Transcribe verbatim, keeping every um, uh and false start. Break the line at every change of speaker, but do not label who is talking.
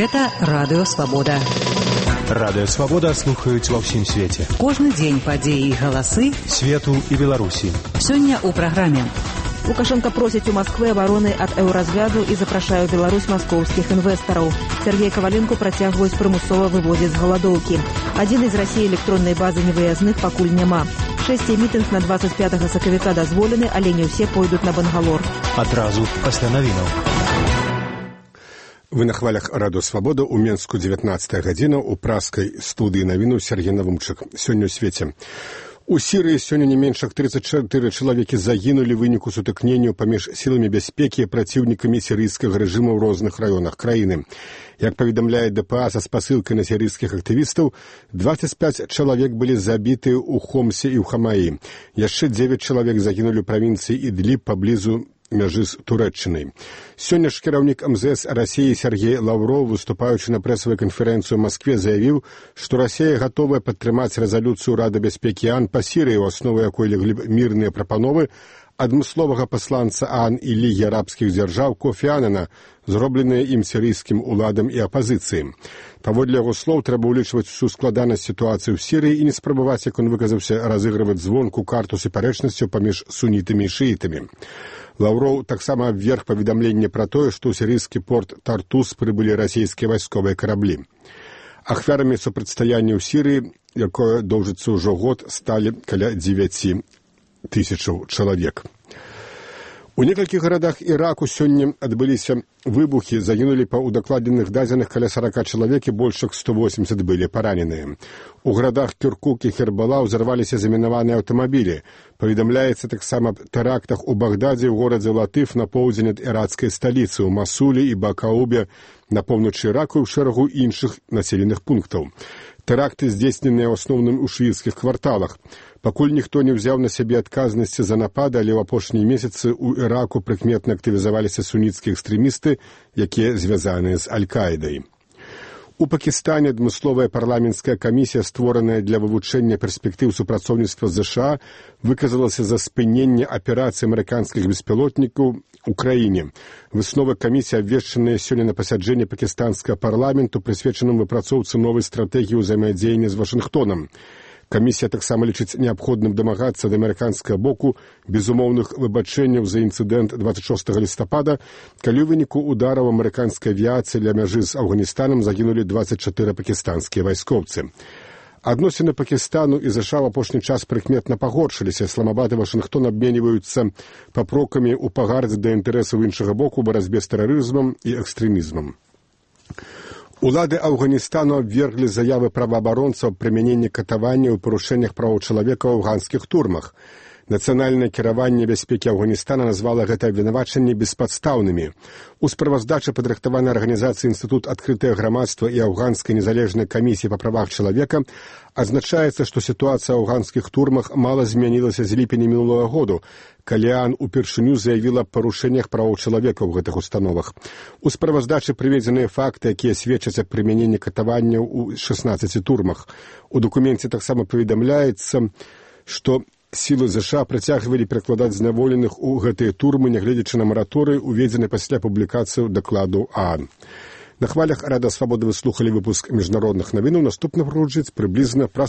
Гэта Радыё Свабода.
Радыё Свабода слухаюць ва ўсім свеце.
Кожны дзень падзеі і галасы
свету і Беларусі.
Сёння ў праграме.
Лукашенко просіць у Москвы абароны ад еўразвязу і запрашае ў Беларусь маскоўскіх інвестараў. Сергей Коваленко працягваюць прымусова выводзіць з галадоўкі. Адзін з Расіі электроннай базы невыязных пакуль няма. Шэсце мітынг на двадцать пятага сакавіка дазволены, але не ўсе пойдуць на Бангалор.
Адразу пасля навінаў.
Вы на хвалях Радыё Свабода ў Менску дзевятнаццатая гадзіна ў праскай студыі навіну Сергей Навумчык. Сёння ў свеце. У Сірыі сёння не менш як тридцать четыре чалавекі загінулі ў выніку сутыкненняў паміж сіламі бяспекі і праціўнікамі сірыйскага рэжыму ў розных раёнах краіны. Як паведамляе ДПА са спасылкай на сірыйскіх актывістаў, двадцать пять чалавек былі забіты ў Хомсе і ў Хамаі. Яшчэ девять чалавек загінулі ў правінцыі Ідліб паблізу мяжы з Турэччынай. Сёння ж кіраўнік эм зэ эс Расіі Сергей Лаўроў, выступаючы на прэсавай канферэнцыі ў Маскве, заявіў, што Расія гатовая падтрымаць рэзалюцыю Рады бяспекі ООН па Сірыі, у аснову якой леглі мірныя прапановы адмысловага пасланца ООН і Лігі арабскіх дзяржаў Кофі Анана, зробленыя ім сірыйскім уладам і апазіцыі. Паводле яго слоў, трэба ўлічваць усю складанасць сітуацыі ў Сірыі і не спрабаваць, як он выказаўся, разыгрываць звонку карту супярэчнасцяў паміж сунітамі і шыітамі. Лаўроў таксама абверг паведамленне пра тое, што ў сірыйскі порт Тартус прыбылі расійскія вайсковыя караблі. Ахвярамі супрацьстаяння ў Сірыі, якое доўжыцца ўжо год, сталі каля дзевяці тысячаў чалавек. У некалькіх гарадах Іраку сёння адбыліся выбухі, загінулі па удакладненых дадзеных каля сорока чалавек і больш як сто восемьдесят былі параненыя. У гарадах Кіркук і Хербала ўзарваліся замінаваныя аўтамабілі. Паведамляецца таксама аб тэрактах у Багдадзе, ў горадзе Латыф на поўдзень ад ірацкай сталіцы, у Масулі і Бакаубе на поўначы Іраку і ў шэрагу іншых населеных пунктаў. Тэракты здзейсненыя ў асноўным у шыіцкіх кварталах. Пакуль ніхто не ўзяў на сябе адказнасці за напады, але ў апошнія месяцы ў Іраку прыкметна актывізаваліся суніцкія экстрэмісты, якія звязаныя з Аль-Каідай. У Пакістане адмысловая парламенцкая камісія, створаная для вывучэння перспектыў супрацоўніцтва з ЗША, выказалася за спыненне аперацыі амерыканскіх беспілотнікаў у краіне. Высновы камісіі абвешчаныя сёння на пасяджэнні пакістанскага парламенту, прысвечаным выпрацоўцы новай стратэгіі ўзаемадзеяння з Вашынгтонам. Камісія таксама лічыць неабходным дамагацца ад амерыканскага боку безумоўных выбачэнняў за інцыдэнт двадцать шостага лістапада, калі ў выніку удараў амерыканскай авіяцыі ля мяжы з Афганістанам загінулі двадцать четыре пакістанскія вайскоўцы. Адносіны Пакістану і ЗША ў апошні час прыкметна пагоршыліся. Ісламабад і Вашынгтон абменьваюцца папрокамі ў пагардзе да інтарэсаў іншага боку ў барацьбе з тэрарызмам і экстрэмізмам. Улады Афганістану абверглі заявы праваабаронцаў аб прымяненні катавання ў парушэннях правоў чалавека ў афганскіх турмах. Нацыянальнае кіраванне бяспекі Афганістана назвала гэта абвінавачанні беспадстаўнымі. У справаздачы падрыхтаванай арганізацыі Інстытут адкрытае грамадства і Афганскай незалежнай камісіі па правах чалавека адзначаецца, што сітуацыя ў афганскіх турмах мала змянілася з ліпеня мінулага году, калі ООН упершыню заявіла аб парушэннях правоў чалавека ў гэтых установах. У справаздачы прыведзеныя факты, якія сведчаць аб прымяненні катаванняў у шестнаццаці турмах. У дакуменце таксама паведамляецца, што сілы ЗША працягвалі перакладаць зняволеных у гэтыя турмы, нягледзячы на мараторый, уведзены пасля публікацыі дакладу ООН. На хвалях Радыё Свабода вы слухалі выпуск міжнародных навінаў. Наступна прагучыць прыблізна праз